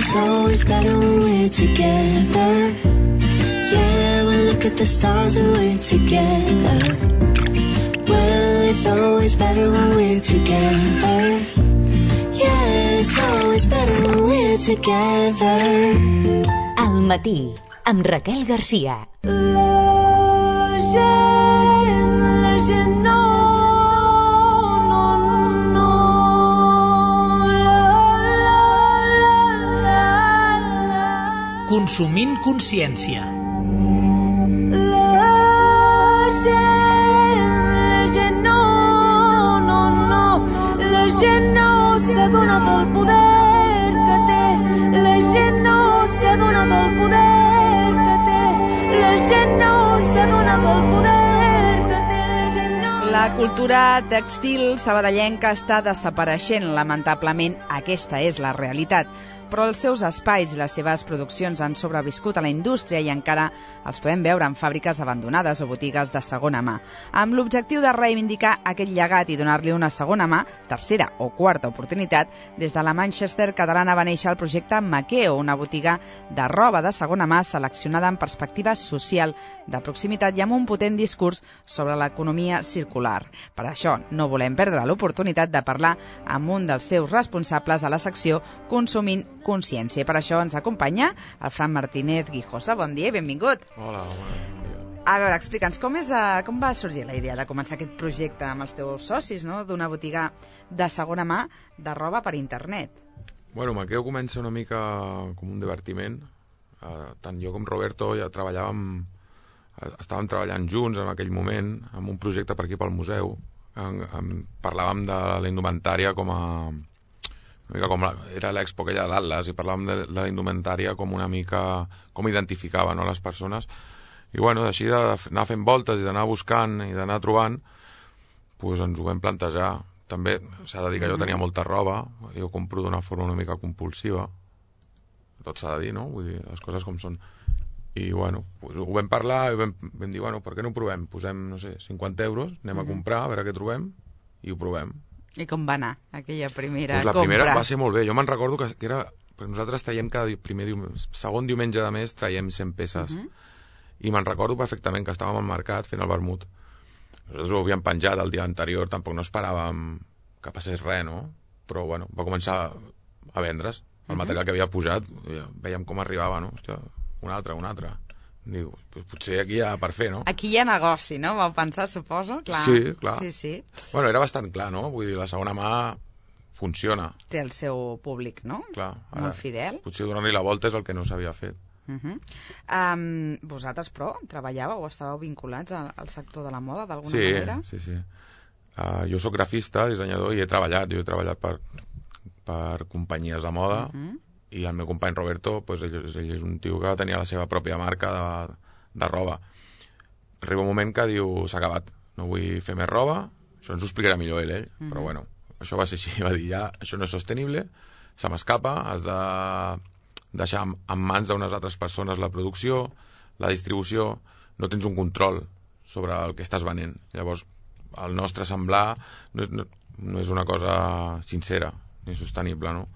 it's always better when we're together. Yeah, we look at the stars when we're together. Well, it's always better when we're together. Yeah, it's always better when we're together. Al matí, amb Raquel Garcia. Consumint consciència. La gent no s'adona del poder que té. La gent no s'adona del poder que té. La gent no s'adona del poder que té. La gent no... La cultura tèxtil sabadellenca està desapareixent, lamentablement. Aquesta és la realitat. Però els seus espais i les seves produccions han sobreviscut a la indústria i encara els podem veure en fàbriques abandonades o botigues de segona mà. Amb l'objectiu de reivindicar aquest llegat i donar-li una segona mà, tercera o quarta oportunitat, des de la Manchester catalana va néixer el projecte Maqueo, una botiga de roba de segona mà seleccionada en perspectiva social, de proximitat i amb un potent discurs sobre l'economia circular. Per això no volem perdre l'oportunitat de parlar amb un dels seus responsables a la secció Consumint Consciència. Per això ens acompanya el Fran Martínez Guijosa. Bon dia i benvingut. Hola, bon dia. A veure, explica'ns, com va sorgir la idea de començar aquest projecte amb els teus socis, no?, d'una botiga de segona mà de roba per internet? Bueno, Maqueo comença una mica com un divertiment. Tant jo com Roberto ja estàvem treballant junts en aquell moment en un projecte per aquí pel museu. Parlàvem de la indumentària com era l'expo aquella de l'Atlas, i parlàvem de la indumentària com una mica com identificava, no, les persones. I bueno, així d'anar fent voltes i d'anar buscant i d'anar trobant, doncs ens ho vam plantejar. També s'ha de dir que jo tenia molta roba, jo compro d'una forma una mica compulsiva, tot s'ha de dir, no? Vull dir, les coses com són. I bueno, doncs ho vam parlar i vam dir, bueno, per què no ho provem? Posem, no sé, 50 euros, anem a comprar, a veure què trobem, i ho provem. I com va anar aquella primera compra? La primera va ser molt bé. Jo me'n recordo que era... Perquè nosaltres traiem segon diumenge de mes traiem 100 peces. I me'n recordo perfectament que estàvem al mercat fent el vermut. Nosaltres ho havíem penjat el dia anterior, tampoc no esperàvem que passés res, no? Però bueno, va començar a vendre's el material que havia posat. Veiem com arribava, no? Hòstia, un altre. Diu, potser aquí hi ha per fer, no? Aquí hi ha negoci, no? Vau pensar, suposo? Clar. Sí, clar. Sí. Bueno, era bastant clar, no? Vull dir, la segona mà funciona. Té el seu públic, no? Clar. Molt fidel. Potser donar-li la volta és el que no s'havia fet. Vosaltres, però, treballàveu o estàveu vinculats al sector de la moda, d'alguna manera? Sí. Jo sóc grafista, dissenyador, i he treballat per companyies de moda, i el meu company Roberto, doncs ell és un tio que tenia la seva pròpia marca de roba. Arriba un moment que diu, s'ha acabat, no vull fer més roba, això ens ho explicarà millor ell, però bueno, això va ser així, va dir, ja, això no és sostenible, se m'escapa, has de deixar en mans d'unes altres persones la producció, la distribució, no tens un control sobre el que estàs venent. Llavors, el nostre semblar no és una cosa sincera ni sostenible, no?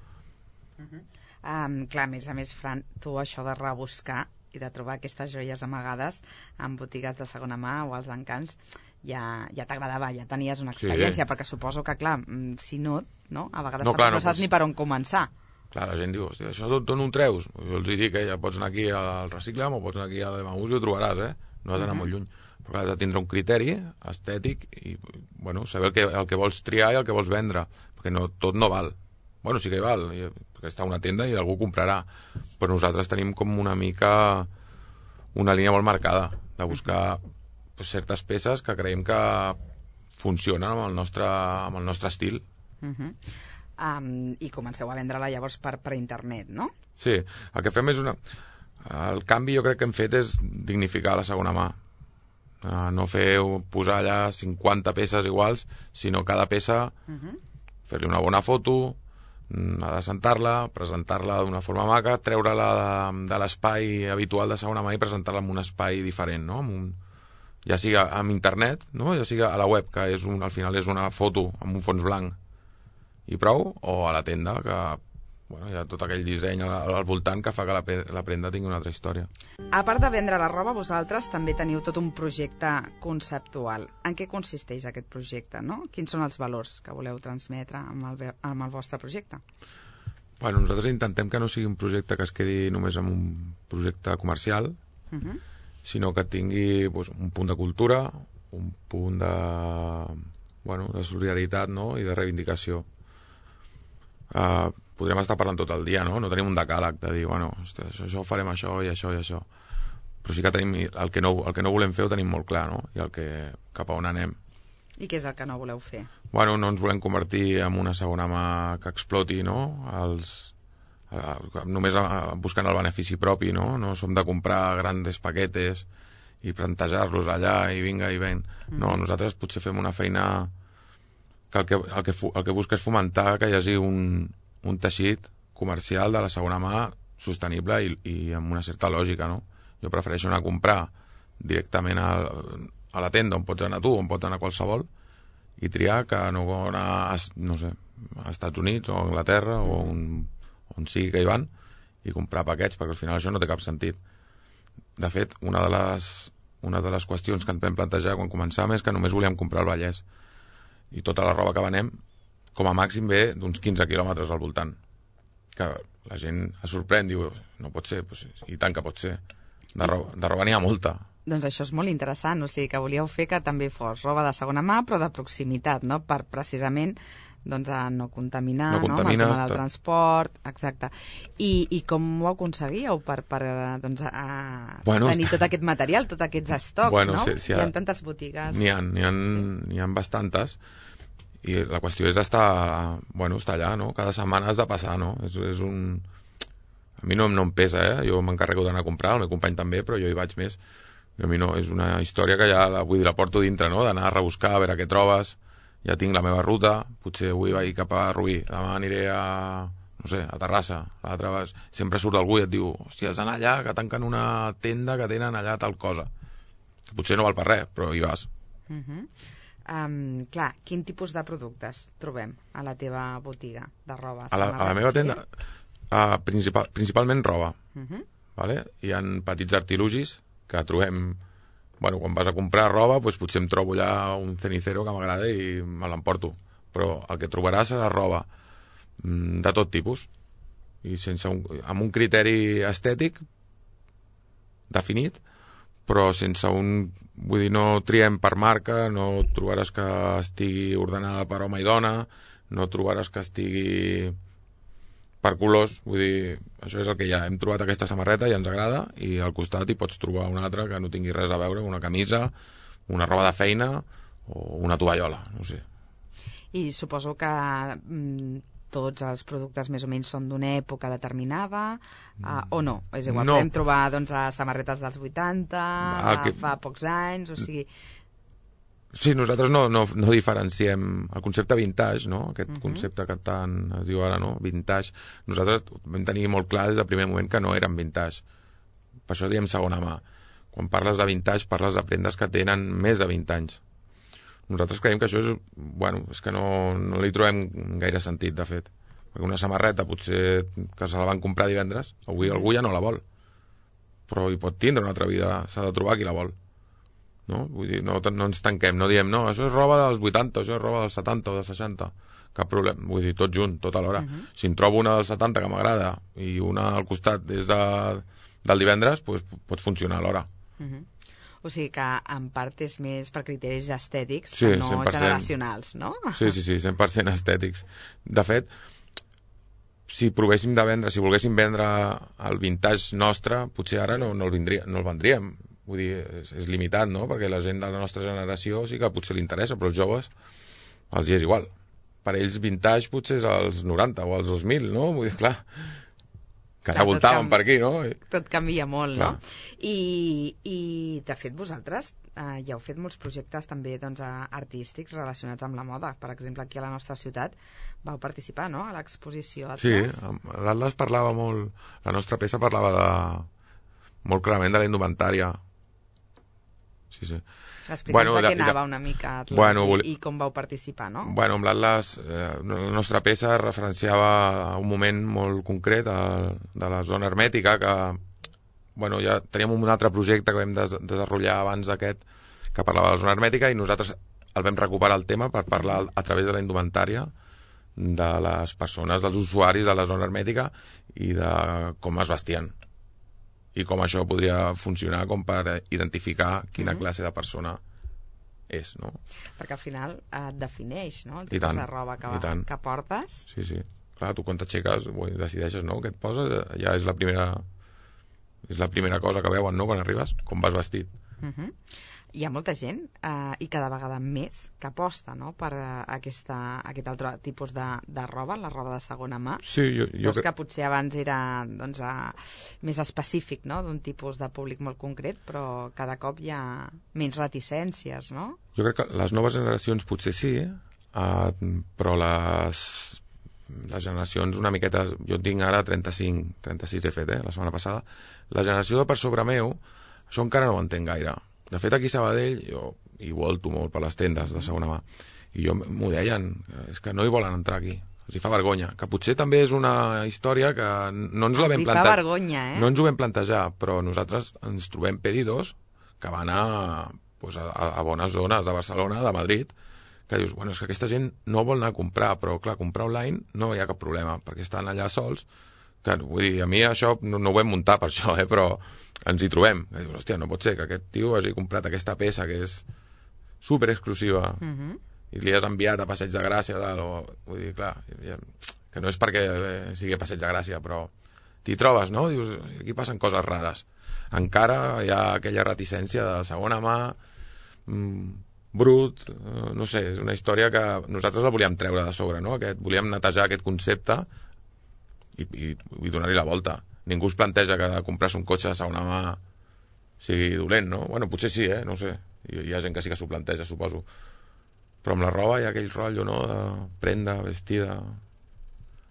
Clar, a més, Fran, tu això de rebuscar i de trobar aquestes joies amagades en botigues de segona mà o als encants ja t'agradava, ja tenies una experiència, perquè suposo que, clar, si no, a vegades no saps ni per on començar. Clar, la gent diu, hòstia, això d'on ho treus? Jo els dic, ja pots anar aquí al Reciclam o pots anar aquí a l'Emaús i ho trobaràs, no has d'anar molt lluny. Però has de tindre un criteri estètic i, bueno, saber el que vols triar i el que vols vendre, perquè tot no val. Bueno, sí que hi val, perquè està a una tenda i algú comprarà, però nosaltres tenim com una mica una línia molt marcada de buscar certes peces que creiem que funcionen amb el nostre estil. I comenceu a vendre-la llavors per internet, no? Sí, el que fem és el canvi jo crec que hem fet és dignificar la segona mà. No posar allà 50 peces iguals, sinó cada peça fer-li una bona foto, adecentar-la, presentar-la d'una forma maca, treure-la de l'espai habitual de segona mà i presentar-la en un espai diferent, no? Ja sigui amb internet, no? Ja sigui a la web, que al final és una foto amb un fons blanc i prou, o a la tenda, que bueno, hi ha tot aquell disseny al voltant que fa que la prenda tingui una altra història. A part de vendre la roba, vosaltres també teniu tot un projecte conceptual. En què consisteix aquest projecte, no? Quins són els valors que voleu transmetre amb el vostre projecte? Bueno, nosaltres intentem que no sigui un projecte que es quedi només en un projecte comercial, sinó que tingui un punt de cultura, un punt de solidaritat, no? I de reivindicació. Podrem estar parlant tot el dia, no? No tenim un decàleg de dir, bueno, això ho farem això i això i això. Però sí que tenim el que no volem fer ho tenim molt clar, no? I cap a on anem. I què és el que no voleu fer? Bueno, no ens volem convertir en una segona mà que exploti, no? Només buscant el benefici propi, no? No som de comprar grans paquetes i plantejar-los allà i vinga i ven. No, nosaltres potser fem una feina que el que busca és fomentar que hi hagi un teixit comercial de la segona mà sostenible i amb una certa lògica, no? Jo prefereixo anar a comprar directament a la tenda on pots anar tu, on pot anar qualsevol, i triar que no anar, no sé, a Estats Units o a Anglaterra o on sigui que hi van i comprar paquets, perquè al final això no té cap sentit. De fet, una de les qüestions que ens vam plantejar quan començàvem és que només volíem comprar al Vallès i tota la roba que venem com a màxim ve d'uns 15 quilòmetres al voltant, que la gent es sorprèn, diu, no pot ser, pues, i tant que pot ser, de roba n'hi ha molta. Doncs això és molt interessant, o sigui que volíeu fer que també fos roba de segona mà però de proximitat, no? Per precisament a no contaminar, no? Amb el tema del transport, exacte. I com ho aconseguíeu per tenir tot aquest material, tots aquests estocs, no? Hi ha tantes botigues. N'hi ha bastantes. I la qüestió és estar allà, no? Cada setmana has de passar, no? A mi no em pesa, Jo m'encarrego d'anar a comprar, el meu company també, però jo hi vaig més. I a mi no, és una història que ja la porto dintre, no? D'anar a rebuscar, a veure què trobes. Ja tinc la meva ruta, potser avui vaig cap a Rubí, demà aniré a Terrassa, l'altre sempre surt algú i et diu, hòstia, has d'anar allà, que tanquen una tenda que tenen allà tal cosa. Potser no val per res, però hi vas. Clar, quin tipus de productes trobem a la teva botiga de roba? A la meva tenda, principalment roba. Vale? Hi ha petits artilugis que trobem, quan vas a comprar roba, potser em trobo allà un cenicero que m'agrada i me l'emporto. Però el que trobaràs serà roba de tot tipus i amb un criteri estètic definit, però sense vull dir, no triem per marca, no trobaràs que estigui ordenada per home i dona, no trobaràs que estigui per colors, vull dir, això és el que hi ha. Hem trobat aquesta samarreta i ens agrada, i al costat hi pots trobar una altra que no tingui res a veure, una camisa, una roba de feina o una tovallola, no sé. I suposo que tots els productes més o menys són d'una època determinada, o no? És igual, no. Podem trobar samarretes dels 80, fa pocs anys, o sigui... Sí, nosaltres no diferenciem el concepte vintage, no? Aquest concepte que tant es diu ara, no? Vintage. Nosaltres vam tenir molt clar des del primer moment que no eren vintage. Per això diem segona mà. Quan parles de vintage, parles de prendes que tenen més de 20 anys. Nosaltres creiem que això és... és que no li trobem gaire sentit, de fet. Perquè una samarreta, potser que se la van comprar divendres, avui algú ja no la vol. Però hi pot tindre una altra vida, s'ha de trobar qui la vol. No? Vull dir, no ens tanquem, no diem, no, això és roba dels 80, això és roba dels 70 o dels 60, cap problema, vull dir, tot junt, tot alhora. Si em trobo una dels 70 que m'agrada i una al costat és del divendres, doncs pot funcionar alhora. O sigui que en part és més per criteris estètics, que no 100%. Generacionals, no? Sí, 100% estètics. De fet, si volguéssim vendre el vintage nostre, potser ara no el vendríem. Vull dir, és limitat, no? Perquè la gent de la nostra generació sí que potser li interessa, però els joves els hi és igual. Per ells vintage potser és als 90 o als 2000, no? Vull dir, clar, que ja voltaven per aquí, no? Tot canvia molt, clar. No? I de fet vosaltres ja heu fet molts projectes també artístics relacionats amb la moda. Per exemple, aquí a la nostra ciutat vau participar, no?, a l'exposició Atlas. Sí, l'Atlas parlava molt, la nostra peça parlava molt clarament de la indumentària. sí, sí. Explica'ns de què anava una mica Atlas i com vau participar, no? Bueno, amb l'Atlas, la nostra peça referenciava un moment molt concret de la zona hermètica, que bueno, ja teníem un altre projecte que vam desenvolupar abans d'aquest, que parlava de la zona hermètica, i nosaltres el vam recuperar el tema per parlar a través de la indumentària de les persones, dels usuaris de la zona hermètica i de com es vestien i com això podria funcionar com per identificar quina classe de persona és, no? Perquè al final et defineix, no? El I tipus tant, de roba i tant. que portes. Sí, sí. Clar, tu quan t'aixeques decideixes, no?, què et poses, ja és la primera cosa que veuen, no?, quan arribes, com vas vestit. Hi ha molta gent, i cada vegada més, que aposta, no?, per aquest altre tipus de roba, la roba de segona mà. Sí, jo que potser abans era doncs, més específic, no?, d'un tipus de públic molt concret, però cada cop hi ha menys reticències, no? Jo crec que les noves generacions potser sí, però les generacions una miqueta... Jo tinc ara 36 he fet, la setmana passada. La generació de per sobre meu, això encara no ho entenc gaire. De fet, aquí a Sabadell, jo hi volto molt per les tendes de segona mà, i jo m'ho deien, és que no hi volen entrar aquí. Els hi fa vergonya, que potser també és una història que no ens la vam plantejar. Els hi fa vergonya, No ens ho vam plantejar, però nosaltres ens trobem pedidors que van a bones zones de Barcelona, de Madrid, que dius, bueno, és que aquesta gent no vol anar a comprar, però clar, comprar online no hi ha cap problema, perquè estan allà sols. Que, vull dir, a mi això no ho vam muntar per això, però ens hi trobem. I dius, hòstia, no pot ser que aquest tio hagi comprat aquesta peça que és super exclusiva i li has enviat a Passeig de Gràcia, vull dir, clar, que no és perquè sigui a Passeig de Gràcia, però t'hi trobes, no? Dius, aquí passen coses rares. Encara hi ha aquella reticència de segona mà, brut, no sé, és una història que nosaltres la volíem treure de sobre, no? Volíem netejar aquest concepte i donar-hi la volta. Ningú es planteja que comprar-se un cotxe de segona mà sigui dolent, no? Bueno, potser sí, no ho sé. Hi ha gent que sí que s'ho planteja, suposo. Però amb la roba hi ha aquell rotllo, no?, de prenda, vestida...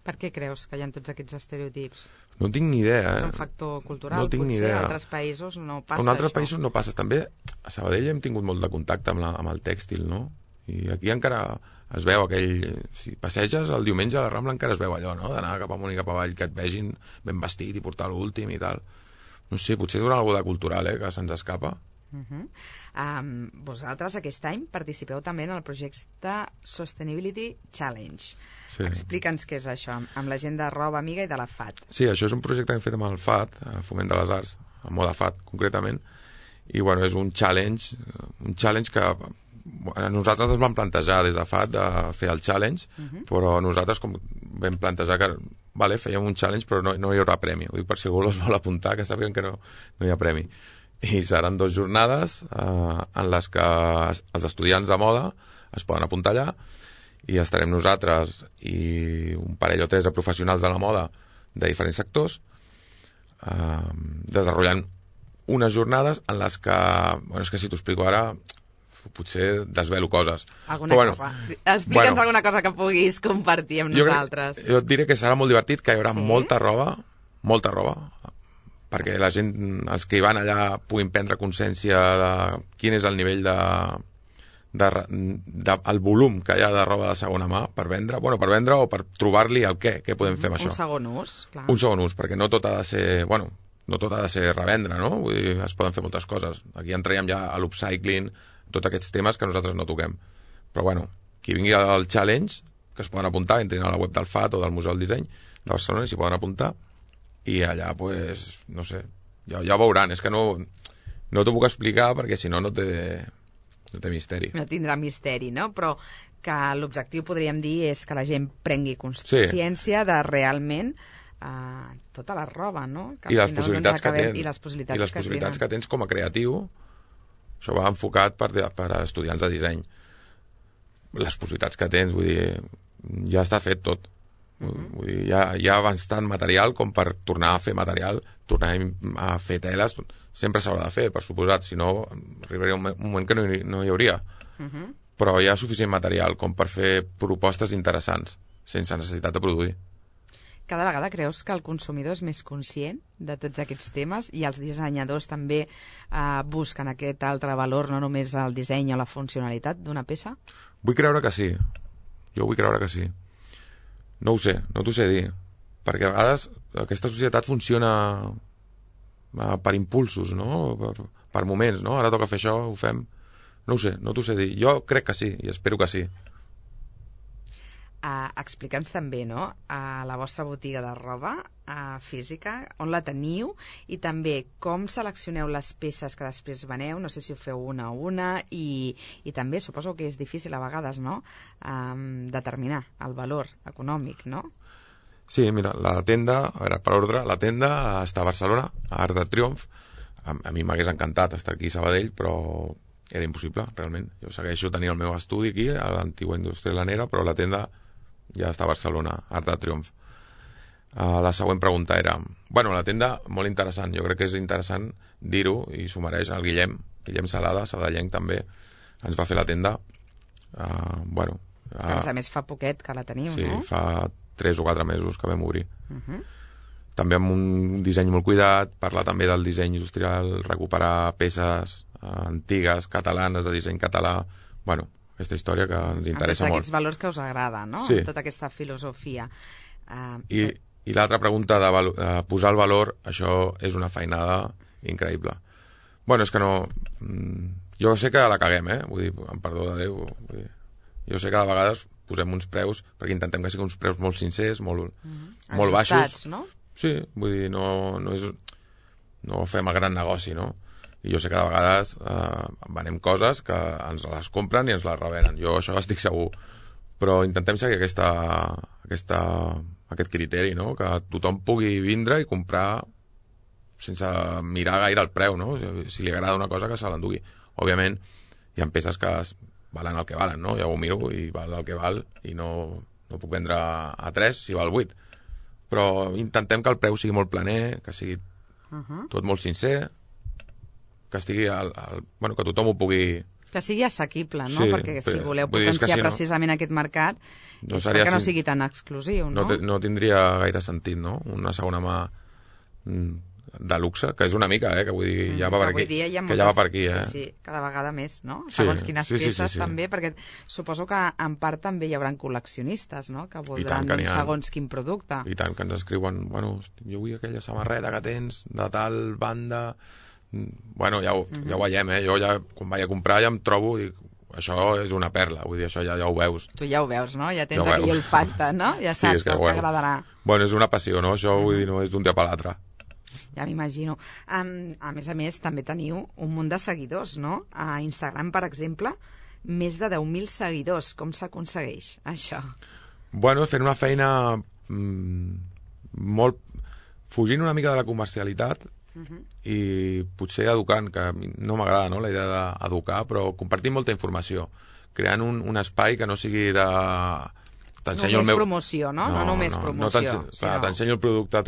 Per què creus que hi ha tots aquests estereotips? No tinc ni idea, És un factor cultural, no tinc ni potser idea. a altres països no passa això. En altres països no passa. També a Sabadell hem tingut molt de contacte amb el tèxtil, no? I aquí encara es veu aquell... Si passeges el diumenge a la Rambla encara es veu allò, no?, d'anar cap amunt i cap avall, que et vegin ben vestit i portar l'últim i tal. No sé, potser dura alguna cosa cultural, que se'ns escapa. Vosaltres aquest any participeu també en el projecte Sustainability Challenge. Sí. Explica'ns què és això, amb la gent de Roba Amiga i de la FAT. Sí, això és un projecte que hem fet amb el FAT, Foment de les Arts, amb Moda FAT concretament, i bueno, és un challenge que nosaltres ens vam plantejar des de FAT de fer el challenge, però nosaltres com vam plantejar que fèiem un challenge però no hi haurà premi. Ho dic per si algú els vol apuntar, que sàpiguen que no hi ha premi. I seran 2 jornades en les que els estudiants de moda es poden apuntar allà i estarem nosaltres i un parell o 3 de professionals de la moda de diferents sectors desenvolupant unes jornades en les que, bueno, és que si t'ho explico ara potser desvelo coses. Cosa. Explica'ns alguna cosa que puguis compartir amb nosaltres. Jo et diré que serà molt divertit, que hi haurà molta roba, perquè la gent, els que hi van allà, puguin prendre consciència de quin és el nivell el volum que hi ha de roba de segona mà per vendre o per trobar-li el què podem fer amb això. Un segon ús, clar. Un segon ús, perquè no tot ha de ser, no tot ha de ser revendre, no? Vull dir, es poden fer moltes coses. Aquí entraríem ja a l'upcycling, tots aquests temes que nosaltres no toquem. Però bueno, qui vingui al challenge, que es poden apuntar, entrin a la web del FAT o del Museu del Disseny de Barcelona, s'hi poden apuntar, i allà, pues, no sé, ja ho veuran. És que no t'ho puc explicar perquè si no té misteri. No tindrà misteri, no? Però que l'objectiu, podríem dir, és que la gent prengui consciència de realment tota la roba, no? I les possibilitats que tens. I les possibilitats que tens com a creatiu. Això va enfocat per a estudiants de disseny. Les possibilitats que tens, vull dir, ja està fet tot. Vull dir, hi ha bastant material com per tornar a fer material, tornar a fer teles, sempre s'haurà de fer, per suposat, si no arribaria un moment que no hi hauria. Però hi ha suficient material com per fer propostes interessants, sense necessitat de produir. Cada vegada creus que el consumidor és més conscient de tots aquests temes i els dissenyadors també busquen aquest altre valor, no només el disseny o la funcionalitat d'una peça? Vull creure que sí. Jo vull creure que sí. No ho sé, no t'ho sé dir. Perquè a vegades aquesta societat funciona per impulsos, no? Per moments, no? Ara toca fer això, ho fem. No ho sé, no t'ho sé dir. Jo crec que sí, i espero que sí. Explica'ns també, no?, la vostra botiga de roba física, on la teniu i també com seleccioneu les peces que després veneu, no sé si ho feu una a una i també suposo que és difícil a vegades, no?, determinar el valor econòmic, no? Sí, mira, la tenda, a veure, per ordre, la tenda està a Barcelona, a Arc de Triomf. A mi m'hagués encantat estar aquí a Sabadell, però era impossible, realment. Jo segueixo tenint el meu estudi aquí, a l'antigua indústria lanera, però la tenda ja està a Barcelona, Arc de Triomf. La següent pregunta era... Bueno, la tenda, molt interessant. Jo crec que és interessant dir-ho, i s'ho mereix el Guillem Salada, sabadellenc també, ens va fer la tenda. Bueno... Que a més fa poquet que la teniu, sí, no? Sí, fa 3 o 4 mesos que vam obrir. També amb un disseny molt cuidat, parlar també del disseny industrial, recuperar peces antigues, catalanes, de disseny català... Bueno, aquesta història que ens interessa molt. Aquests valors que us agrada, no? Sí. Tota aquesta filosofia. I l'altra pregunta de posar el valor, això és una feinada increïble. Bueno, és que no... Jo sé que la caguem, Vull dir, amb perdó de Déu, vull dir, jo sé que de vegades posem uns preus, perquè intentem que siguin uns preus molt sincers, molt baixos. No? Sí, vull dir, no fem el gran negoci, no? I jo sé que de vegades venem coses que ens les compren i ens les revenen. Jo això estic segur. Però intentem seguir aquest criteri, no? Que tothom pugui vindre i comprar sense mirar gaire el preu, no? Si li agrada una cosa, que se l'endugui. Òbviament, hi ha peces que valen el que valen, no? Ja ho miro i val el que val i no puc vendre a 3 si val 8. Però intentem que el preu sigui molt planer, que sigui tot molt sincer, que estigui bueno, que tothom ho pugui... Que sigui assequible, no? Sí, perquè si voleu potenciar precisament aquest mercat és perquè no sigui tan exclusiu, no? No tindria gaire sentit, no? Una segona mà de luxe, que és una mica, que vull dir, ja va per aquí. Que ja va per aquí, Sí, cada vegada més, no? Segons quines peces també, perquè suposo que en part també hi haurà col·leccionistes, no? Que voldran segons quin producte. I tant, que ens escriuen, bueno, jo vull aquella samarreta que tens de tal banda... Bueno, ja ho veiem, Jo ja, quan vaig a comprar, ja em trobo i això és una perla, vull dir, això ja ho veus. Tu ja ho veus, no? Ja tens aquell olfacte, no? Ja saps que t'agradarà. Bueno, és una passió, no? Això, vull dir, no és d'un dia per l'altre. Ja m'imagino. A més, també teniu un munt de seguidors, no? A Instagram, per exemple, més de 10.000 seguidors. Com s'aconsegueix, això? Bueno, fent una feina molt... fugint una mica de la comercialitat i potser educant, que no m'agrada, no?, la idea d'educar, però compartint molta informació, creant un espai que no sigui de... Només promoció, no? No només promoció. T'ensenyo el producte,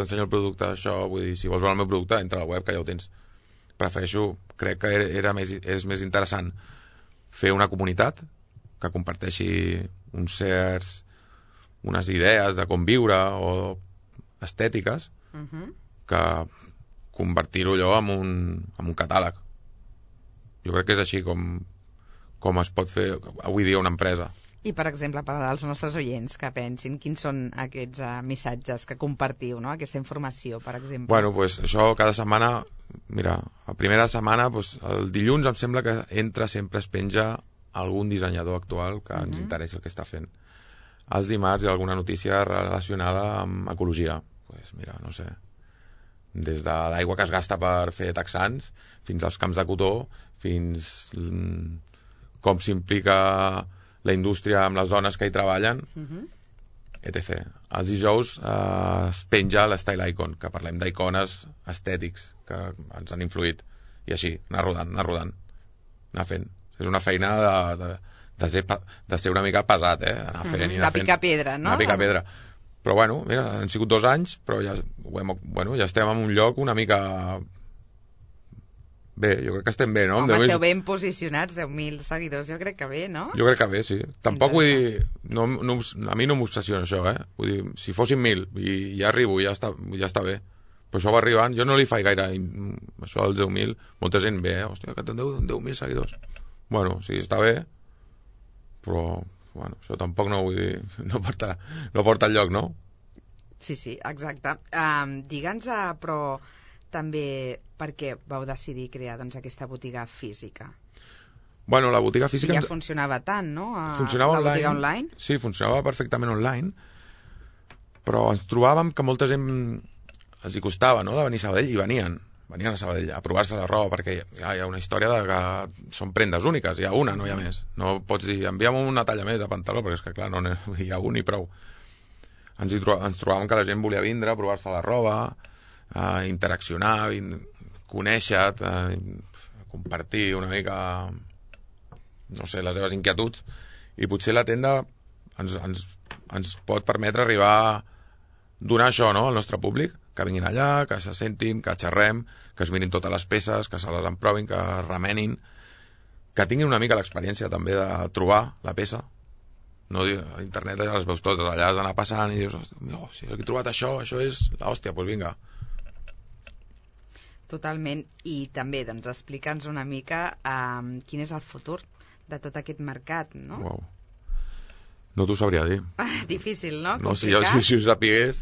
això, vull dir, si vols veure el meu producte, entra a la web, que ja ho tens. Prefereixo, crec que és més interessant fer una comunitat que comparteixi unes idees de com viure o estètiques, que convertir-ho allò en un catàleg. Jo crec que és així com es pot fer avui dia una empresa. I, per exemple, per als nostres oients que pensin, quins són aquests missatges que compartiu, no? Aquesta informació, per exemple? Bueno, pues això cada setmana, mira, la primera setmana, pues, el dilluns em sembla que sempre es penja algun dissenyador actual que ens interessi el que està fent. Els dimarts hi ha alguna notícia relacionada amb ecologia. Pues mira, no sé, des de l'aigua que es gasta per fer texans fins als camps de cotó, fins com s'implica la indústria amb les dones que hi treballen, etc. Els dijous es penja l'Style Icon, que parlem d'icones estètics que ens han influït, i així, anar rodant, anar fent. És una feina de ser una mica pesat, anar fent i anar fent. De picar pedra, no? De picar pedra. Però bueno, mira, han sigut 2 anys, però ja estem en un lloc una mica Bé, jo crec que estem bé, no? Home, esteu ben posicionats, 10.000 seguidors, jo crec que bé, no? Jo crec que bé, sí. Tampoc vull dir... a mi no m'obsessiona això, Vull dir, si fossin 1.000 i ja arribo, ja està bé. Però això va arribant, jo no li faig gaire això dels 10.000, molta gent ve, hòstia, que teniu 10.000 seguidors. Bueno, sí, està bé, però, bueno, això tampoc no vull dir, no porta enlloc, no? Sí, exacte. Digue'ns, però també per què vau decidir crear doncs, aquesta botiga física? Bueno, la botiga física... Ja funcionava tant, no? Funcionava la botiga online? Sí, funcionava perfectament online, però ens trobàvem que molta gent els hi costava, no?, de venir a Sabadell, i venien a Sabadell a provar-se la roba, perquè hi ha una història de que són prendes úniques, hi ha una, no hi ha més. No pots dir, envia'm una talla més a pantaló, perquè és que, clar, no hi ha un i prou. Ens trobàvem que la gent volia vindre a provar-se la roba, a interaccionar, conèixer-te, compartir una mica, no sé, les seves inquietuds, i potser la tenda ens pot permetre arribar a donar això, no?, al nostre públic, que vinguin allà, que se sentin, que xerrem, que es mirin totes les peces, que se les emprovin, que es remenin, que tinguin una mica l'experiència també de trobar la peça. No, a internet ja les veus totes, allà has d'anar passant i dius, si he trobat això és l'hòstia, doncs vinga. Totalment, i també doncs, explica'ns una mica quin és el futur de tot aquest mercat, no? Uau. No t'ho sabria dir. Difícil, no? No, si ho sapigués,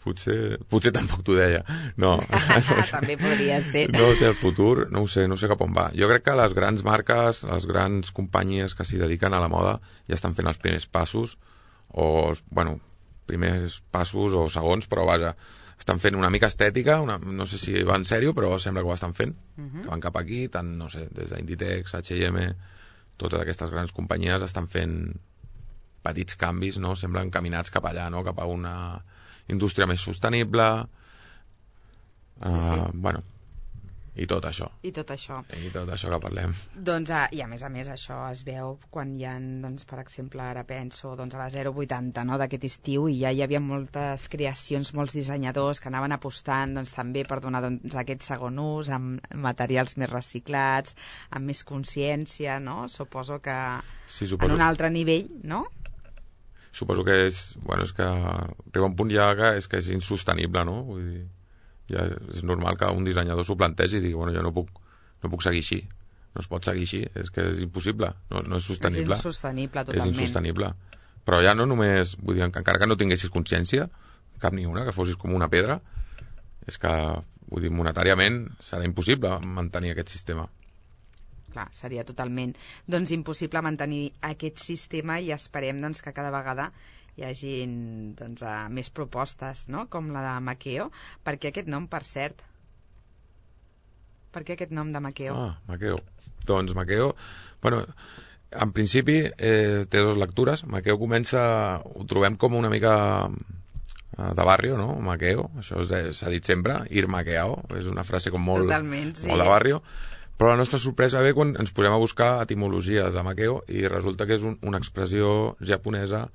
potser tampoc t'ho deia. No. També podria ser. No sé, el futur, no sé cap on va. Jo crec que les grans marques, les grans companyies que s'hi dediquen a la moda ja estan fent els primers passos, primers passos o segons, però vaja, estan fent una mica estètica, no sé si va en sèrio, però sembla que ho estan fent, que van cap aquí, tant, no sé, des d'Inditex, H&M, totes aquestes grans companyies estan fent petits canvis, no? Semblen encaminats cap allà, no? Cap a una indústria més sostenible, i tot això. I tot això que parlem. Doncs, i a més això es veu quan hi ha, doncs, per exemple, ara penso a la 080, no?, d'aquest estiu, i ja hi havia moltes creacions, molts dissenyadors que anaven apostant doncs, també per donar aquest segon ús amb materials més reciclats, amb més consciència, no? Suposo que en un altre nivell, no? Suposo que és que arriba un punt ja que és insostenible, no? Vull dir, ja és normal que un dissenyador s'ho plantegi i digui, jo no puc seguir així, no es pot seguir així, és que és impossible, no és sostenible. És insostenible, totalment. És insostenible. Però ja no només, vull dir, encara que no tinguessis consciència, cap ni una, que fossis com una pedra, és que, vull dir, monetàriament serà impossible mantenir aquest sistema. Clar, seria totalment impossible mantenir aquest sistema, i esperem que cada vegada hi hagi més propostes, no?, com la de Makeo. Per què aquest nom, per cert? Per què aquest nom de Makeo? Makeo. Doncs Makeo, en principi té dues lectures. Makeo ho trobem com una mica de barrio, no? Makeo, això s'ha dit sempre, ir maqueao, és una frase com molt de barrio. Però la nostra sorpresa ve quan ens posem a buscar etimologies de Makeo i resulta que és una expressió japonesa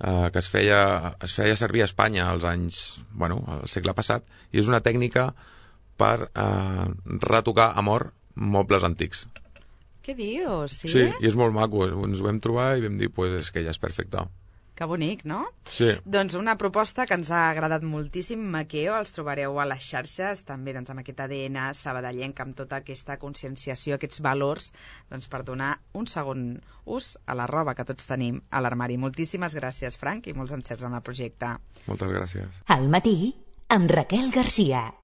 que es feia servir a Espanya als anys, al segle passat, i és una tècnica per retocar a mort mobles antics. Què dius? Sí, i és molt maco. Ens ho vam trobar i vam dir, és que ja és perfecte. Que bonic, no? Sí. Doncs una proposta que ens ha agradat moltíssim, Makeo, els trobareu a les xarxes, també amb aquest ADN sabadellenc, amb tota aquesta conscienciació, aquests valors, per donar un segon ús a la roba que tots tenim a l'armari. Moltíssimes gràcies, Frank, i molts encerts en el projecte. Moltes gràcies. Al matí, amb Raquel Garcia.